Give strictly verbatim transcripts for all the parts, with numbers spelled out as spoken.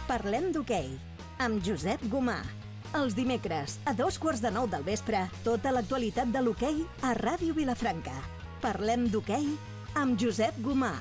Parlem d'hoquei, amb Josep Gomà. Els dimecres, a dos quarts de nou del vespre, tota l'actualitat de l'hoquei a Ràdio Vilafranca. Parlem d'hoquei amb Josep Gomà.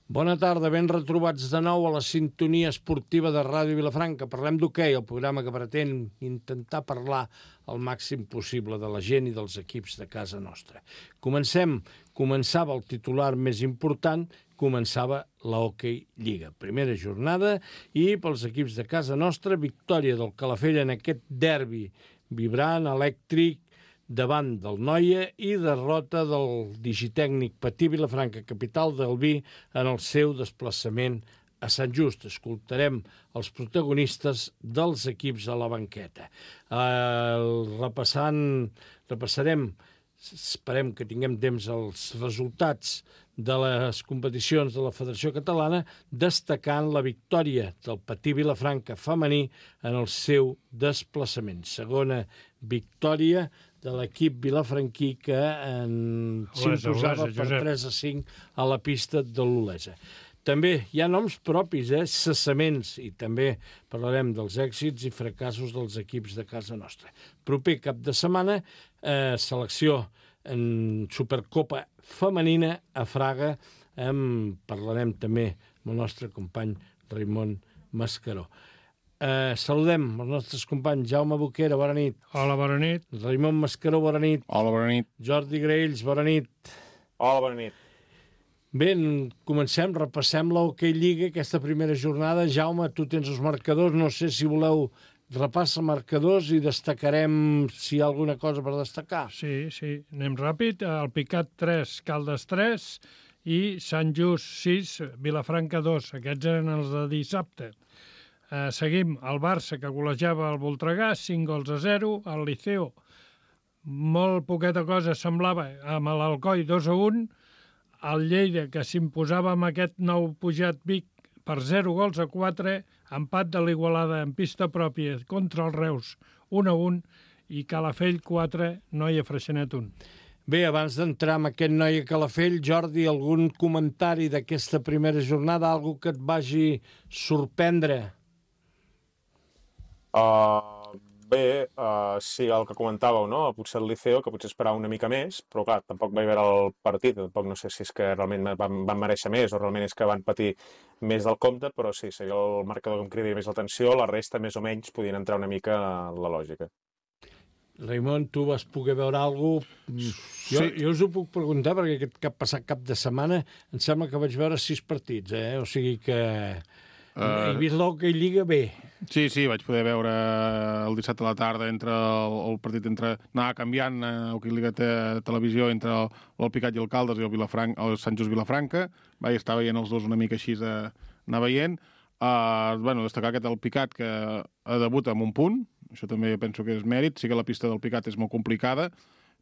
Bona tarda, ben retrobats de nou a la sintonia esportiva de Ràdio Vilafranca. Parlem d'hoquei, el programa que pretén intentar parlar el màxim possible de la gent i dels equips de casa nostra. Comencem, començava el titular més important, començava la Hockey Lliga. Primera jornada i pels equips de casa nostra, victòria del Calafell en aquest derbi vibrant, elèctric, davant del Noia i derrota del digitècnic Patí Vilafranca, capital del vi, en el seu desplaçament a Sant Just. Escoltarem els protagonistes dels equips a la banqueta. Uh, repassant, repassarem, esperem que tinguem temps, els resultats de les competicions de la Federació Catalana, destacant la victòria del Patí Vilafranca femení en el seu desplaçament. Segona victòria de l'equip vilafranquí que s'imposava per tres a cinc a la pista de l'Olesa. També hi ha noms propis, eh? cessaments, i també parlarem dels èxits i fracassos dels equips de casa nostra. Proper cap de setmana, eh, selecció en Supercopa femenina a Fraga. En parlarem també amb el nostre company Raimon Mascaró. Eh, saludem els nostres companys. Jaume Boquera, bona nit. Hola, bona nit. Raimon Mascaró, bona nit. Hola, bona nit. Jordi Graells, bona nit. Hola, bona nit. Bé, comencem, repassem la Hockey Lliga, aquesta primera jornada. Jaume, tu tens els marcadors, no sé si voleu repassar marcadors i destacarem si hi ha alguna cosa per destacar. Sí, sí, anem ràpid. El Picat tres, Caldes tres i Sant Just sis, Vilafranca dos. Aquests eren els de dissabte. Uh, seguim, el Barça, que golejava el Voltregà, cinc gols a zero. El Liceo, molt poqueta cosa semblava, amb l'Alcoi dos a un. El Lleida, que s'imposava amb aquest nou pujat Vic per zero gols a quatre. Empat de l'Igualada en pista pròpia contra el Reus, un a un. I Calafell quatre, Noia Freixenet un. Bé, abans d'entrar en aquest Noia Calafell, Jordi, algun comentari d'aquesta primera jornada, algo que et vagi sorprendre? Uh, bé, uh, sí, el que comentàveu, no? Potser el Liceo, que potser esperava una mica més, però clar, tampoc vaig veure el partit, tampoc no sé si és que realment van, van mereixer més o realment és que van patir més del compte, però sí, seria el marcador que em cridaria més l'atenció, la resta més o menys podien entrar una mica a la lògica. Raimon, tu vas poder veure alguna cosa? Jo, sí. jo us ho puc preguntar perquè aquest cap passat cap de setmana em sembla que vaig veure sis partits, eh? O sigui que uh, he vist l'Hockey Lliga bé. Sí, sí, vaig poder veure el dissabte a la tarda entre el, el partit entre... Anava canviant, eh, Hockey Lliga te, televisió entre el, el Picat i el Caldes i el, Vilafranca, el Sant Just Vilafranca. Vaig estar veient els dos una mica així d'anar veient. Uh, bueno, destacar aquest el Picat que debuta amb un punt, això també penso que és mèrit. Sí que la pista del Picat és molt complicada,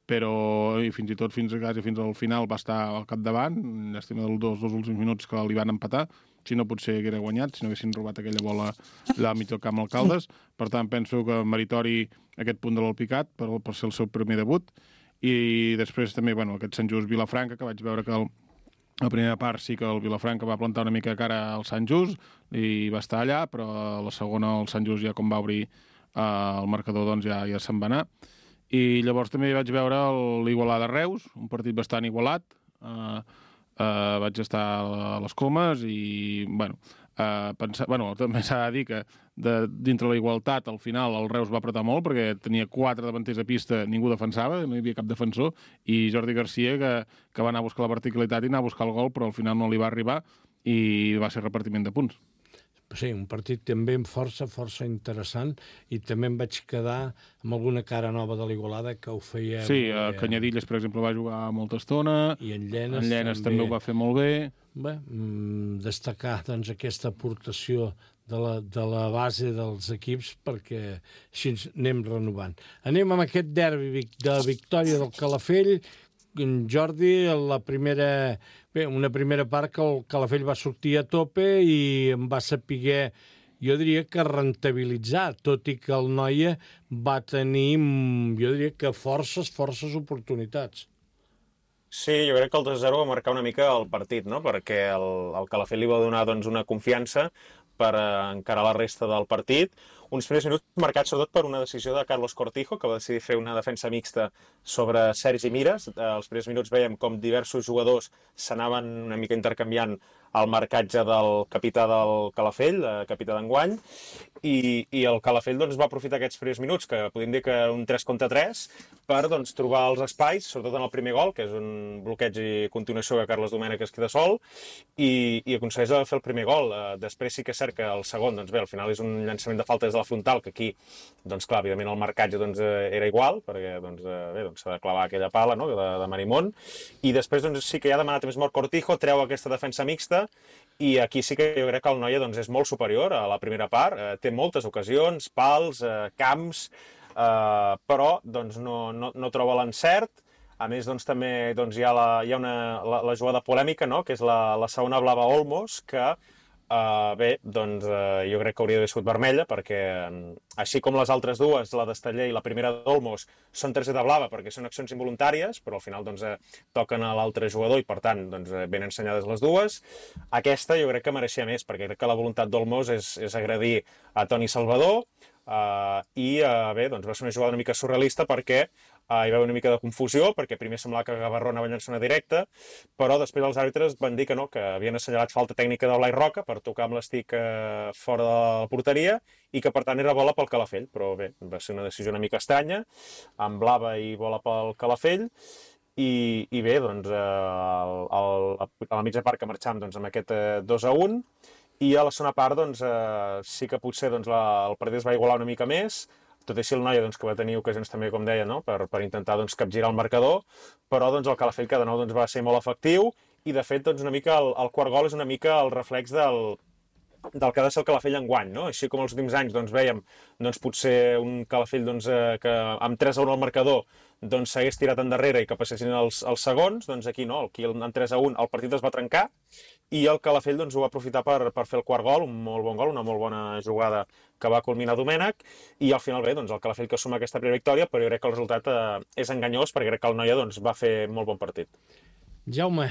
però i fins i tot fins, quasi fins al final va estar al capdavant, llàstima dels dos, dos últims minuts que li van empatar, si no potser haguera guanyat, si no haguessin robat aquella bola allà al mig del camp Alcaldes. Per tant, penso que meritori aquest punt de l'Alpicat per, per ser el seu primer debut. I després també, bueno, aquest Sant Just Vilafranca, que vaig veure que el, la primera part sí que el Vilafranca va plantar una mica de cara al Sant Just i va estar allà, però la segona el Sant Just ja com va obrir eh, el marcador doncs ja, ja se'n va anar. I llavors també vaig veure l'Igualada Reus, un partit bastant igualat. Eh, Uh, vaig estar a les Comes i, bueno, uh, pensar, bueno també s'ha de dir que de, dintre la igualtat, al final el Reus va apretar molt perquè tenia quatre davanters a pista, ningú defensava, no hi havia cap defensor, i Jordi Garcia que, que va anar a buscar la verticalitat i anar a buscar el gol, però al final no li va arribar i va ser repartiment de punts. Sí, un partit també força, força interessant, i també em vaig quedar amb alguna cara nova de l'Igualada que ho feia... Sí, a Canyadilles, per exemple, va jugar molta estona, i en Llenes, en Llenes també... també ho va fer molt bé. Bé, destacar doncs, aquesta aportació de la, de la base dels equips perquè així anem renovant. Anem amb aquest derbi de victòria del Calafell. Jordi, la primera, bé, una primera part que el Calafell va sortir a tope i em va saber, jo diria que rentabilitzar, tot i que el Noia va tenir, jo diria que forces, forces oportunitats. Sí, jo crec que el dos a zero va marcar una mica el partit, no? Perquè el, el Calafell li va donar doncs, una confiança, per encarar la resta del partit. Uns primers minuts marcats sobretot per una decisió de Carlos Cortijo, que va decidir fer una defensa mixta sobre Sergi Mires. Els primers minuts veiem com diversos jugadors s'anaven una mica intercanviant el marcatge del capità del Calafell, capità d'enguany, i, i el Calafell doncs, va aprofitar aquests primers minuts, que podríem dir que un tres contra tres, per doncs, trobar els espais, sobretot en el primer gol, que és un bloqueig i continuació que Carles Domènech es queda sol, i, i aconsegueix fer el primer gol. Després sí que és cert que el segon, doncs bé, al final és un llançament de falta des de la frontal, que aquí, doncs clar, evidentment el marcatge doncs, era igual, perquè doncs, bé, doncs, s'ha de clavar aquella pala, no?, de, de Marimón, i després doncs, sí que ja ha demanat més mort Cortijo, treu aquesta defensa mixta, i aquí sí que jo crec que el Noia doncs, és molt superior a la primera part, eh, té moltes ocasions, pals, eh, camps, eh, però doncs, no, no, no troba l'encert. A més, doncs, també doncs, hi ha, la, hi ha una, la, la jugada polèmica, no?, que és la, la segona blava Olmos, que Uh, bé, doncs uh, jo crec que hauria d'haver sigut vermella, perquè um, així com les altres dues, la d'Esteller i la primera d'Olmos, són targeta blava perquè són accions involuntàries, però al final doncs, uh, toquen a l'altre jugador i per tant doncs, uh, ben ensenyades les dues. Aquesta jo crec que mereixia més, perquè crec que la voluntat d'Olmos és, és agredir a Toni Salvador, uh, i uh, bé, doncs va ser una jugada una mica surrealista perquè Uh, hi va haver una mica de confusió, perquè primer semblava que Gavarró anava a llançar una directa, però després els àrbitres van dir que no, que havien assenyalat falta tècnica de Blai Roca per tocar amb l'estic uh, fora de la porteria i que per tant era bola pel Calafell, però bé, va ser una decisió una mica estranya, amb blava i bola pel Calafell, i, i bé, doncs uh, el, el, a la mitja part que marxàvem doncs, amb aquest uh, dos a un, i a la segona part doncs, uh, sí que potser doncs, la, el partit es va igualar una mica més, tot i així el Noia, doncs, que va tenir ocasions també, com deia, no?, per, per intentar doncs, capgirar el marcador, però doncs, el Calafell que de nou doncs, va ser molt efectiu i de fet doncs, una mica el, el quart gol és una mica el reflex del, del que ha de ser el Calafell enguany, no? Així com els últims anys doncs, vèiem doncs, potser un Calafell doncs, eh, que amb tres a un al marcador doncs, s'hagués tirat endarrere i que passessin els, els segons, doncs aquí no, aquí amb tres a un el partit es va trencar i el Calafell doncs, ho va aprofitar per, per fer el quart gol, un molt bon gol, una molt bona jugada que va culminar Domènech, i al final bé, doncs, el Calafell que suma aquesta primera victòria, però jo crec que el resultat eh, és enganyós, perquè crec que el Noia doncs, va fer molt bon partit. Jaume.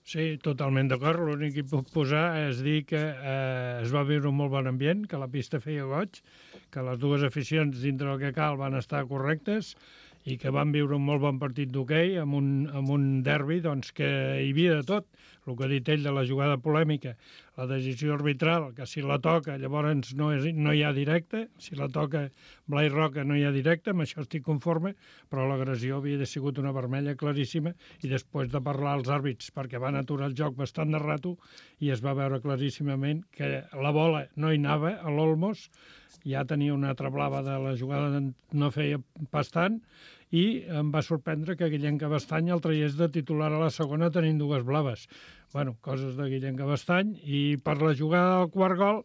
Sí, totalment d'acord. L'únic que puc posar és dir que eh, es va viure un molt bon ambient, que la pista feia goig, que les dues aficions dintre del que cal van estar correctes i que van viure un molt bon partit d'hoquei amb, un, amb un derbi doncs, que hi havia de tot. El que ha dit ell de la jugada polèmica, la decisió arbitral, que si la toca llavors no, és, no hi ha directe, si la toca Blai Roca no hi ha directe, amb això estic conforme, però l'agressió havia de sigut una vermella claríssima i després de parlar als àrbits perquè van aturar el joc bastant de rato i es va veure claríssimament que la bola no hi anava a l'Olmos, ja tenia una altra blava de la jugada, no feia pas tant, i em va sorprendre que Guillem Cabestany el traiés de titular a la segona tenint dues blaves. Bueno, coses de Guillem Cabestany. I per la jugada del quart gol,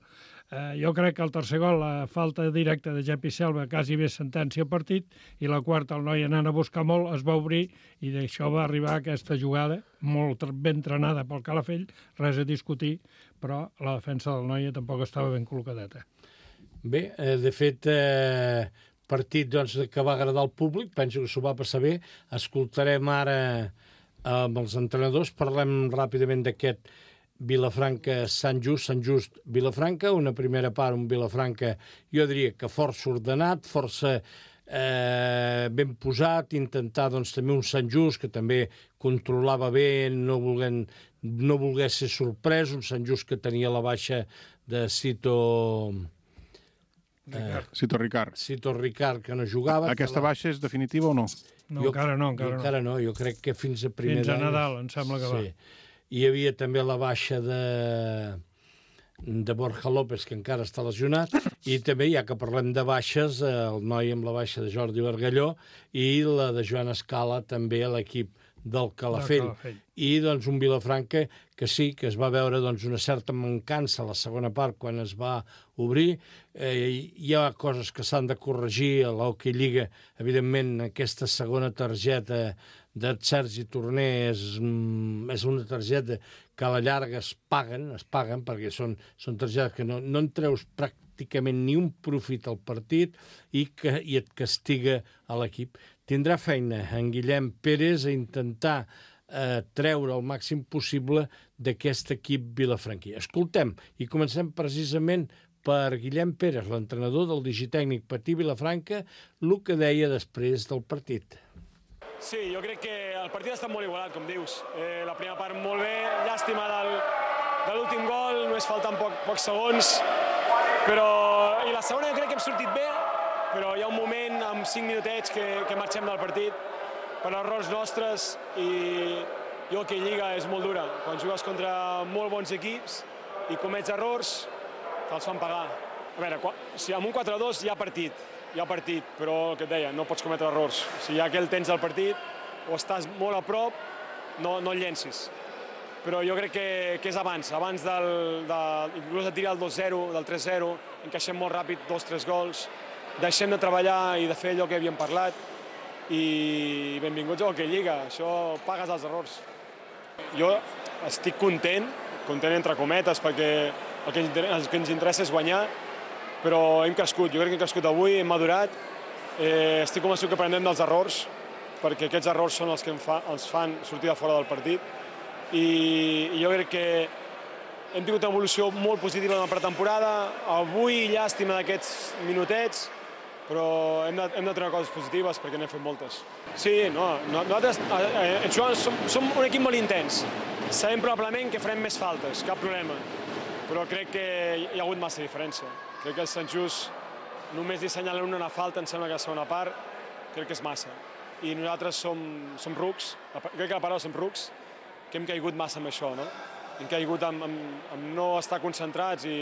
eh, jo crec que el tercer gol, la falta directa de Jepi Selva, quasi bé sentència al partit, i la quarta, el Noia anant a buscar molt, es va obrir, i d'això va arribar aquesta jugada, molt ben entrenada pel Calafell, res a discutir, però la defensa del Noia tampoc estava ben col·locadeta. Bé, eh, de fet, eh, partit doncs, que va agradar al públic, penso que s'ho va passar bé. Escoltarem ara eh, amb els entrenadors, parlem ràpidament d'aquest Vilafranca-Sant Just, Sant Just-Vilafranca, una primera part, un Vilafranca, jo diria que força ordenat, força eh, ben posat, intentar doncs, també un Sant Just que també controlava bé, no volent, no volgués ser sorprès, un Sant Just que tenia la baixa de Cito... Eh, Cito Ricard. Cito Ricard, que no jugava. Aquesta baixa és definitiva o no? No, jo, encara no, encara no. Encara no, jo crec que fins a primer Fins a d'any... Nadal, em sembla que sí. va. Hi havia també la baixa de, de Borja López, que encara està lesionat, i també, ja que parlem de baixes, el noi amb la baixa de Jordi Bargalló i la de Joan Escala també a l'equip del Calafell. Calafell. I doncs un Vilafranca que sí, que es va veure doncs, una certa mancança a la segona part quan es va obrir. Eh, hi ha coses que s'han de corregir a l'Hockey Lliga. Evidentment, aquesta segona targeta de Sergi Torner és, és una targeta que a la llarga es paguen, es paguen perquè són, són targetes que no, no en treus pràcticament ni un profit al partit i, que, i et castiga a l'equip. Tindrà feina en Guillem Pérez a intentar eh, treure el màxim possible d'aquest equip vilafranquí. Escoltem, i comencem precisament per Guillem Pérez, l'entrenador del digitècnic Patí Vilafranca, el que deia després del partit. Sí, jo crec que el partit ha estat molt igualat, com dius. Eh, la primera part molt bé, llàstima del, de l'últim gol, només falten poc, pocs segons, però... I la segona jo crec que hem sortit bé, però hi ha un moment, amb cinc minutets, que, que marxem del partit per errors nostres i jo que Lliga és molt dura. Quan jugues contra molt bons equips i comets errors, te'ls fan pagar. A veure, si amb un quatre dos hi ha partit, hi ha partit, però el que et deia, no pots cometre errors. Si ja que el tens del partit o estàs molt a prop, no, no el llencis. Però jo crec que, que és abans, abans del, de, inclús de tirar el dos zero, del tres zero, encaixem molt ràpid dos tres gols, deixem de treballar i de fer allò que havíem parlat i benvinguts a Hockey Lliga, això pagues els errors. Jo estic content, content entre cometes, perquè el que, el que ens interessa és guanyar, però hem crescut, jo crec que hem crescut avui, hem madurat, eh, estic convençut que aprendem dels errors, perquè aquests errors són els que em fa, els fan sortir de fora del partit, i, i jo crec que hem tingut una evolució molt positiva en la pretemporada, avui llàstima d'aquests minutets, però hem de, hem de treure coses positives perquè n'hem fet moltes. Sí, no, no nosaltres eh, eh, som, som un equip molt intens, sabem probablement que farem més faltes, cap problema, però crec que hi ha hagut massa diferència. Crec que el Sant Just només li assenyalen una falta, em sembla que la segona part, crec que és massa. I nosaltres som, som rucs, crec que la paraula som rucs, que hem caigut massa amb això, no? Hem caigut amb, amb, amb no estar concentrats i,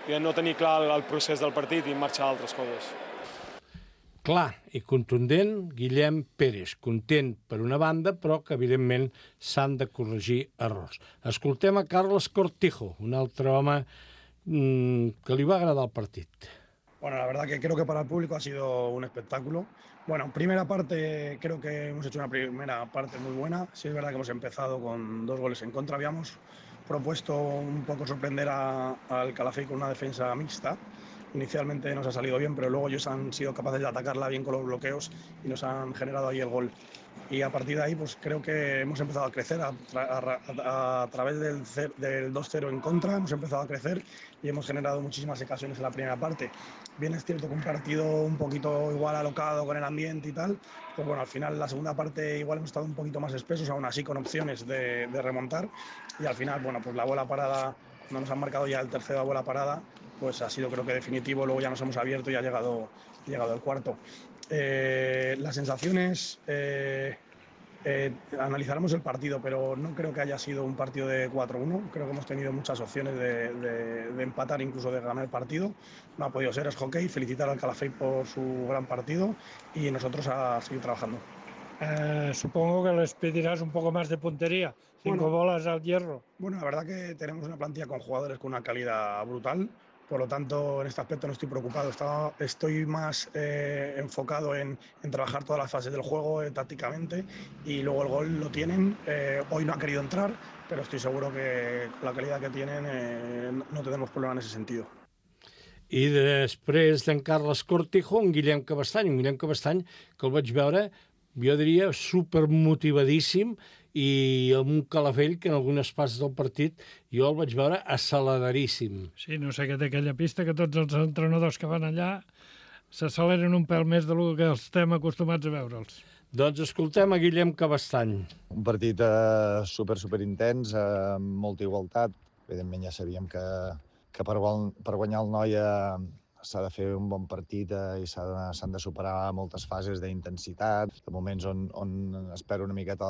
i no tenir clar el, el procés del partit i marxar a altres coses. Clar i contundent, Guillem Pérez, content per una banda, però que evidentment s'han de corregir errors. Escoltem a Carlos Cortijo, un altre home mmm, que li va agradar el partit. Bueno, la verdad que creo que para el público ha sido un espectáculo. Bueno, primera parte, creo que hemos hecho una primera parte muy buena. Sí es verdad que hemos empezado con dos goles en contra. Habíamos propuesto un poco sorprender a, al Calafell con una defensa mixta. Inicialmente nos ha salido bien, pero luego ellos han sido capaces de atacarla bien con los bloqueos y nos han generado ahí el gol. Y a partir de ahí, pues creo que hemos empezado a crecer a, a, a, a través del, del dos cero en contra, hemos empezado a crecer y hemos generado muchísimas ocasiones en la primera parte. Bien es cierto que un partido un poquito igual alocado con el ambiente y tal, pues bueno, al final la segunda parte igual hemos estado un poquito más espesos, aún así con opciones de, de remontar, y al final, bueno, pues la bola parada, no nos han marcado ya el tercero a bola parada, pues ha sido creo que definitivo, luego ya nos hemos abierto y ha llegado, ha llegado el cuarto. Eh, las sensaciones, eh, eh, analizaremos el partido, pero no creo que haya sido un partido de cuatro uno, creo que hemos tenido muchas opciones de, de, de empatar, incluso de ganar el partido, no ha podido ser, es hockey, felicitar al Calafell por su gran partido y nosotros a seguir trabajando. Eh, supongo que les pedirás un poco más de puntería, cinco bueno, bolas al hierro. Bueno, la verdad que tenemos una plantilla con jugadores con una calidad brutal. Por lo tanto, en este aspecto no estoy preocupado. Estaba, estoy más eh, enfocado en, en trabajar todas las fases del juego eh, tácticamente y luego el gol lo tienen. Eh, hoy no ha querido entrar, pero estoy seguro que con la calidad que tienen eh, no tenemos problema en ese sentido. I després d'en Carles Cortijo, en Guillem Cabestany. En Guillem Cabestany, que el vaig veure, jo diria, supermotivadíssim, i amb un Calafell que en algunes parts del partit jo el vaig veure acceleradíssim. Sí, no sé què té aquella pista, que tots els entrenadors que van allà s'acceleren un pèl més del que estem acostumats a veure'ls. Doncs escoltem a Guillem Cabestany. Un partit eh, super, super intens, eh, amb molta igualtat. Evidentment ja sabíem que, que per, per guanyar el Noia s'ha de fer un bon partit eh, i s'han de superar moltes fases d'intensitat, de moments on, on espera una miqueta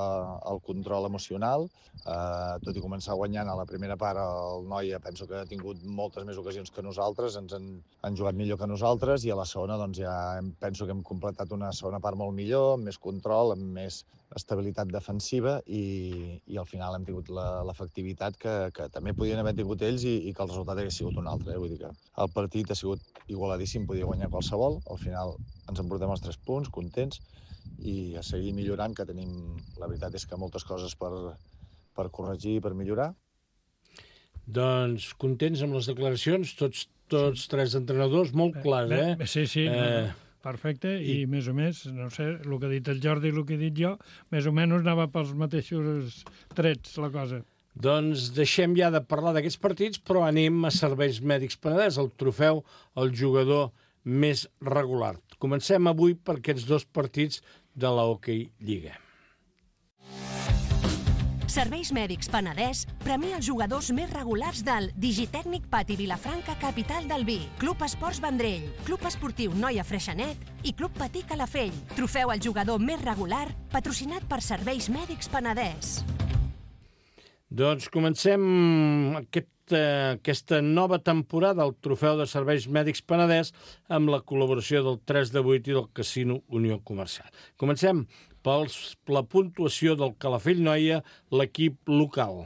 el control emocional. Eh, tot i començar guanyant a la primera part, el Noia penso que ha tingut moltes més ocasions que nosaltres, ens han, han jugat millor que nosaltres, i a la segona doncs, ja hem, penso que hem completat una segona part molt millor, amb més control, amb més estabilitat defensiva, i, i al final hem tingut l'efectivitat que, que també podien haver tingut ells i, i que el resultat hagués sigut un altre. Eh? Vull dir que el partit ha sigut igualadíssim, podia guanyar qualsevol. Al final ens emportem els tres punts, contents, i a seguir millorant, que tenim, la veritat és que moltes coses per, per corregir i per millorar. Doncs contents amb les declaracions, tots, tots tres entrenadors, molt clars, eh? Sí, sí. Eh, perfecte, i, I més o més, no sé, el que ha dit el Jordi i el que he dit jo, més o menys anava pels mateixos trets, la cosa. Doncs deixem ja de parlar d'aquests partits, però anem a Serveis Mèdics Penedès, el trofeu al jugador més regular. Comencem avui per aquests dos partits de la Hockey Lliga. Serveis Mèdics Penedès premia els jugadors més regulars del Digitècnic Pati Vilafranca, capital del vi, Club Esports Vendrell, Club Esportiu Noia Freixenet i Club Patí Calafell. Trofeu al jugador més regular, patrocinat per Serveis Mèdics Penedès. Doncs comencem aquest, eh, aquesta nova temporada del Trofeu de Serveis Mèdics Penedès amb la col·laboració del tres de vuit i del Casino Unió Comercial. Comencem per la puntuació del Calafell Noia, l'equip local.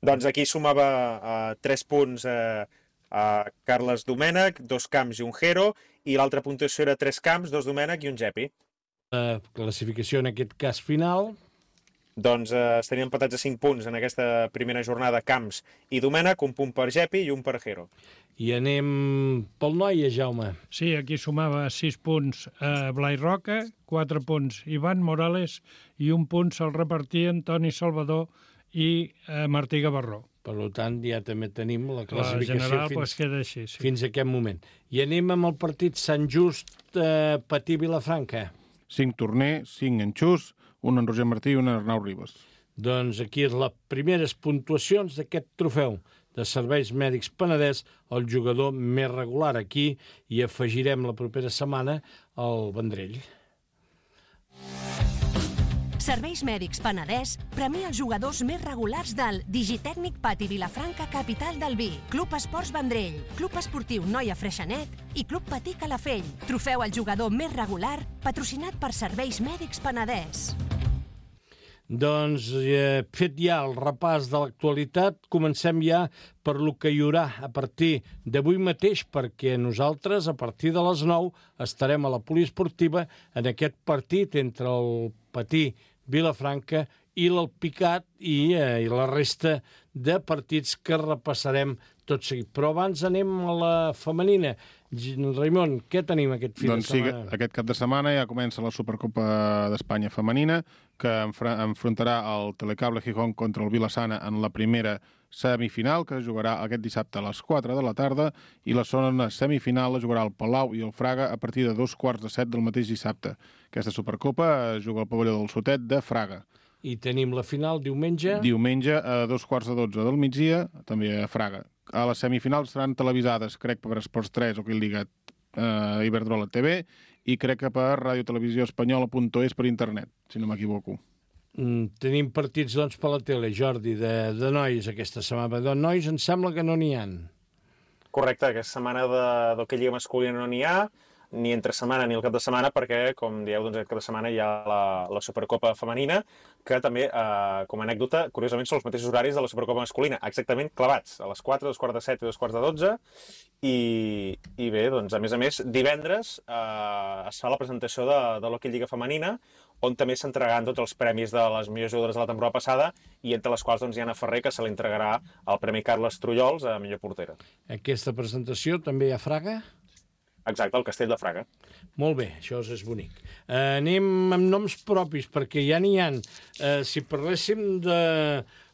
Doncs aquí sumava uh, tres punts uh, a Carles Domènech, dos camps i un Jero, i l'altra puntuació era tres camps, dos Domènech i un Gepi. La classificació en aquest cas final. Doncs eh, estarien empatats a cinc punts en aquesta primera jornada Camps i Domènech, un punt per Gepi i un per Jero. I anem pel Noia, Jaume. Sí, aquí sumava sis punts a Blai Roca, quatre punts Ivan Morales i un punt se'l repartien Toni Salvador i eh, Martí Gavarró. Per tant, ja també tenim la classificació la general, fins, pues, queda així, sí. fins a aquest moment. I anem amb el partit Sant Just eh, Patí Vilafranca. Cinc Torner, cinc Enxús, un en Roger Martí i un en Arnau Ribas. Doncs aquí és les primeres puntuacions d'aquest trofeu de Serveis Mèdics Penedès, el jugador més regular. Aquí i afegirem la propera setmana el Vendrell. Serveis Mèdics Penedès premia els jugadors més regulars del Digitècnic Pati Vilafranca, capital del vi, Club Esports Vendrell, Club Esportiu Noia Freixenet i Club Patí Calafell. Trofeu al jugador més regular, patrocinat per Serveis Mèdics Penedès. Doncs, eh, fet ja el repàs de l'actualitat, comencem ja per lo que hi haurà a partir d'avui mateix, perquè nosaltres, a partir de les nou, estarem a la poliesportiva en aquest partit entre el Patí Vilafranca i l'Alpicat i, eh, i la resta de partits que repassarem tot seguit. Però abans anem a la femenina. Raimon, què tenim aquest fi doncs de setmana? Sí, aquest cap de setmana ja comença la Supercopa d'Espanya femenina, que enfrontarà el Telecable Gijón contra el Vilassana en la primera semifinal, que es jugarà aquest dissabte a les quatre de la tarda, i la segona semifinal la jugarà el Palau i el Fraga a partir de dos quarts de set del mateix dissabte. Aquesta Supercopa es juga al pavelló del Sotet de Fraga. I tenim la final diumenge? Diumenge a dos quarts de dotze del migdia, també a Fraga. A les semifinals seran televisades, crec, per Esports tres, o que lligat eh, Iberdrola T V, i crec que per Radio Televisió Espanyola punt es per internet, si no m'equivoco. Mm, tenim partits, doncs, per la tele, Jordi, de, de nois aquesta setmana. De nois em sembla que no n'hi ha. Correcte, aquesta setmana d'hoquei lliga masculina no n'hi ha, ni entre setmana ni el cap de setmana, perquè, com dieu, doncs, aquest cap de setmana hi ha la, la Supercopa femenina, que també, eh, com a anècdota, curiosament són els mateixos horaris de la Supercopa masculina, exactament clavats, a les quatre, dos quarts de set i dos quarts de dotze, i, i bé, doncs, a més a més, divendres eh, es fa la presentació de, de l'hoquei lliga femenina, on també s'entregaran tots els premis de les millors jugadores de la temporada passada, i entre les quals, doncs, hi ha Anna Ferrer, que se li entregarà el Premi Carles Trullols a millor portera. Aquesta presentació també hi ha Fraga? Exacte, el Castell de Fraga. Molt bé, això és bonic. Eh, anem amb noms propis, perquè ja n'hi ha. Eh, si parléssim de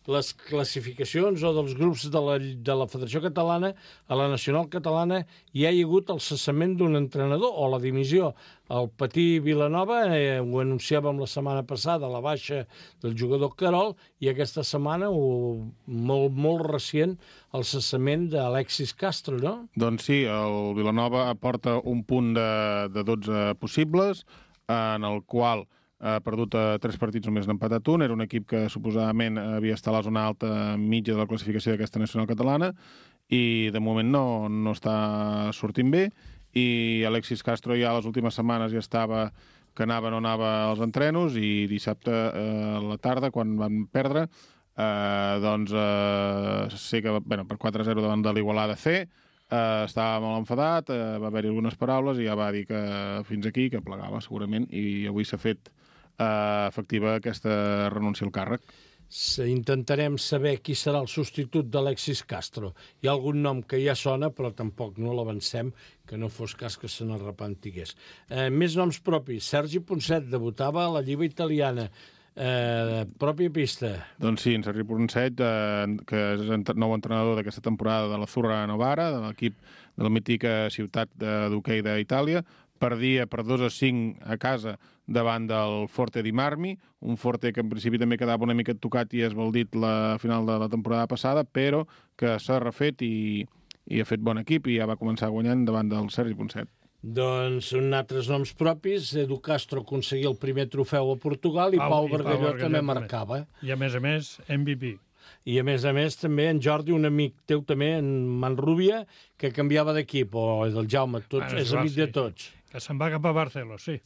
les classificacions o dels grups de la, de la Federació Catalana, a la Nacional Catalana hi ha hagut el cessament d'un entrenador o la dimissió. El Patí Vilanova, eh, ho anunciàvem la setmana passada, la baixa del jugador Querol, i aquesta setmana, o, molt, molt recient, el cessament d'Alexis Castro, no? Doncs sí, el Vilanova aporta un punt de, de dotze possibles, en el qual ha perdut a tres partits, només n'ha empatat un. Era un equip que suposadament havia estat a la zona alta mitja de la classificació d'aquesta nacional catalana i de moment no, no està sortint bé. I Alexis Castro ja les últimes setmanes ja estava que anava o no anava als entrenos, i dissabte eh, a la tarda, quan van perdre, eh, doncs eh, sé que bueno, per quatre a zero davant de l'Igualada C, Uh, estava molt enfadat, uh, va haver-hi algunes paraules i ja va dir que fins aquí, que plegava segurament, i avui s'ha fet uh, efectiva aquesta renúncia al càrrec. intentarem saber qui serà el substitut d'Alexis Castro. Hi ha algun nom que ja sona, però tampoc no l'avancem, que no fos cas que se n'arrepentigués. Eh, més noms propis. Sergi Ponset debutava a la Lliga Italiana. Eh, pròpia pista. Doncs sí, en Sergi Ponset, eh, que és el nou entrenador d'aquesta temporada de la Zurra Novara, de l'equip de la mítica ciutat d'hoquei d'Itàlia, perdia per dos a cinc a casa davant del Forte di Marmi, un Forte que en principi també quedava una mica tocat i esbaldit la final de la temporada passada, però que s'ha refet i, i ha fet bon equip i ja va començar guanyant davant del Sergi Ponset. Doncs un altres noms propis. Edu Castro aconseguia el primer trofeu a Portugal i Pau, Pau i Pau Bargalló Bargalló també també. marcava. I a més a més, M V P. I a més a més també en Jordi, un amic teu també, en Manrubia, que canviava d'equip, o del Jaume, tots, Bueno, és clar, amic sí. de tots. Que se'n va cap a Barcelona, sí.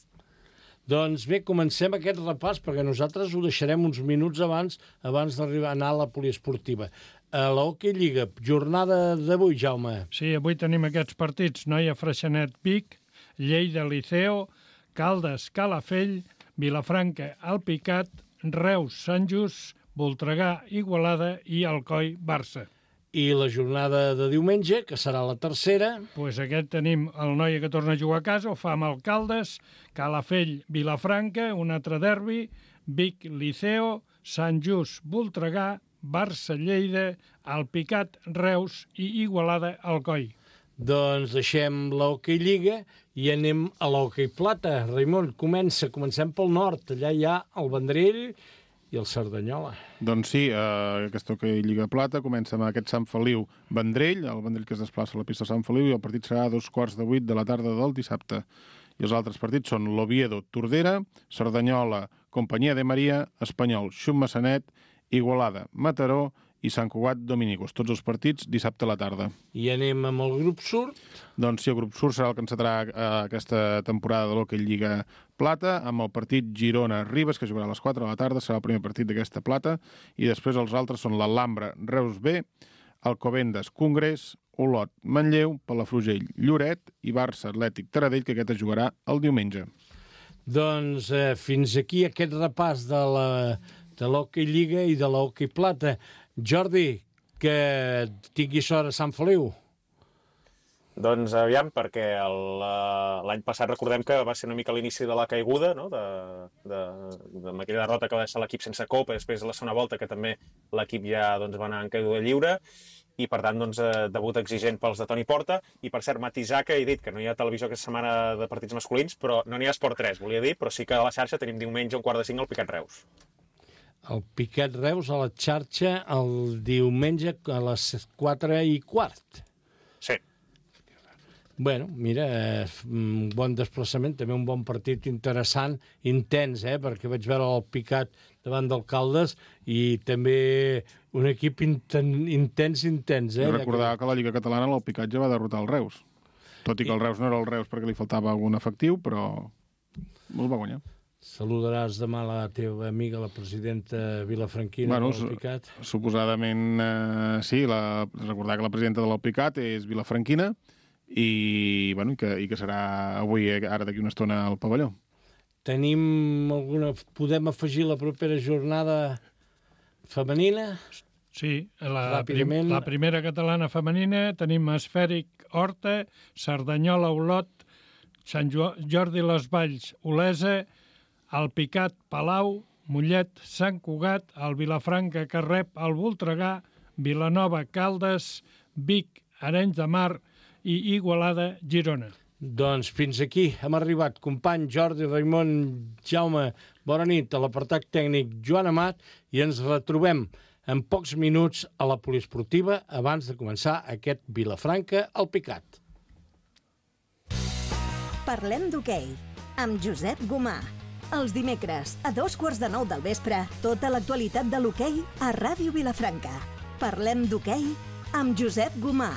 Doncs bé, comencem aquest repàs, perquè nosaltres ho deixarem uns minuts abans abans d'arribar a anar a la poliesportiva. A la Hockey Lliga, jornada d'avui, Jaume. Sí, avui tenim aquests partits. Noia Freixenet Vic, Lleida Liceo, Caldes Calafell, Vilafranca Alpicat, Reus Sant Just, Voltregà Igualada i Alcoi Barça. I la jornada de diumenge, que serà la tercera. Pues aquest tenim el Noia que torna a jugar a casa, ho fa amb el Caldes, Calafell Vilafranca, un altre derbi, Vic Liceo, Sant Just Voltregà, Barça Lleida, Alpicat Reus i Igualada Alcoi. Doncs deixem l'Hockey Lliga i anem a l'Hockey Plata. Raimon, comença. Comencem pel nord. Allà hi ha el Vendrell i el Cerdanyola. Doncs sí, eh, aquesta Hockey Lliga Plata comença amb aquest Sant Feliu-Vendrell, el Vendrell que es desplaça a la pista de Sant Feliu, i el partit serà a dos quarts de vuit de la tarda del dissabte. I els altres partits són l'Oviedo-Tordera, Cerdanyola, Companyia de Maria, Espanyol, Xum-Massanet, Igualada, Mataró i Sant Cugat Dominicos. Tots els partits dissabte a la tarda. I anem amb el grup sud. Doncs sí, el grup sud serà el que encetarà eh, aquesta temporada de l'Hockey Lliga Plata, amb el partit Girona-Ribes, que jugarà a les quatre de la tarda, serà el primer partit d'aquesta plata, i després els altres són l'Alhambra Reus B, Alcobendas Congrés, Olot Manlleu, Palafrugell Lloret i Barça Atlètic Taradell, que aquest es jugarà el diumenge. Doncs eh, fins aquí aquest repàs de la de l'Hockey Lliga i de l'Hockey Plata. Jordi, que tingui sort a Sant Feliu. Doncs aviam, perquè el, l'any passat recordem que va ser una mica l'inici de la caiguda, no? de, de, de aquella derrota que va deixar l'equip sense copa, i després de la segona volta que també l'equip ja doncs, va anar en caiguda lliure, i per tant doncs, debut exigent pels de Toni Porta. I per cert, matisar que he dit que no hi ha televisió aquesta setmana de partits masculins, però no n'hi ha Esport tres, volia dir, però sí que a la xarxa tenim diumenge un quart de cinc al Picat Reus. El Picat Reus a la xarxa el diumenge a les quatre i quart. Sí. Bueno, mira, eh, un bon desplaçament, també un bon partit interessant, intens, eh, perquè vaig veure el Picat davant d'Alcaldes i també un equip inten, intens, intens. Eh, I recordar que la Lliga Catalana el Picat ja va derrotar el Reus. Tot i que el Reus no era el Reus perquè li faltava algun efectiu, però el va guanyar. Saludaràs demà la teva amiga, la presidenta vilafranquina bueno, del Picat? Suposadament, eh, sí. La, recordar que la presidenta del Picat és vilafranquina i, bueno, i, que, i que serà avui, ara d'aquí una estona, al pavelló. Tenim alguna... Podem afegir la propera jornada femenina? Sí, la, prim, la primera catalana femenina tenim Esfèric Horta, Cerdanyola Olot, Sant Jordi Les Valls Olesa, el Picat Palau, Mollet Sant Cugat, el Vilafranca Carrep, el Voltregà, Vilanova Caldes, Vic Arenys de Mar i Igualada Girona. Doncs fins aquí hem arribat. Company Jordi, Raimon, Jaume, bona nit. A l'apartat tècnic Joan Amat, i ens retrobem en pocs minuts a la poliesportiva abans de començar aquest Vilafranca al Picat. Parlem d'hoquei amb Josep Gomà. Els dimecres, a dos quarts de nou del vespre, tota l'actualitat de l'hoquei a Ràdio Vilafranca. Parlem d'hoquei amb Josep Gomà.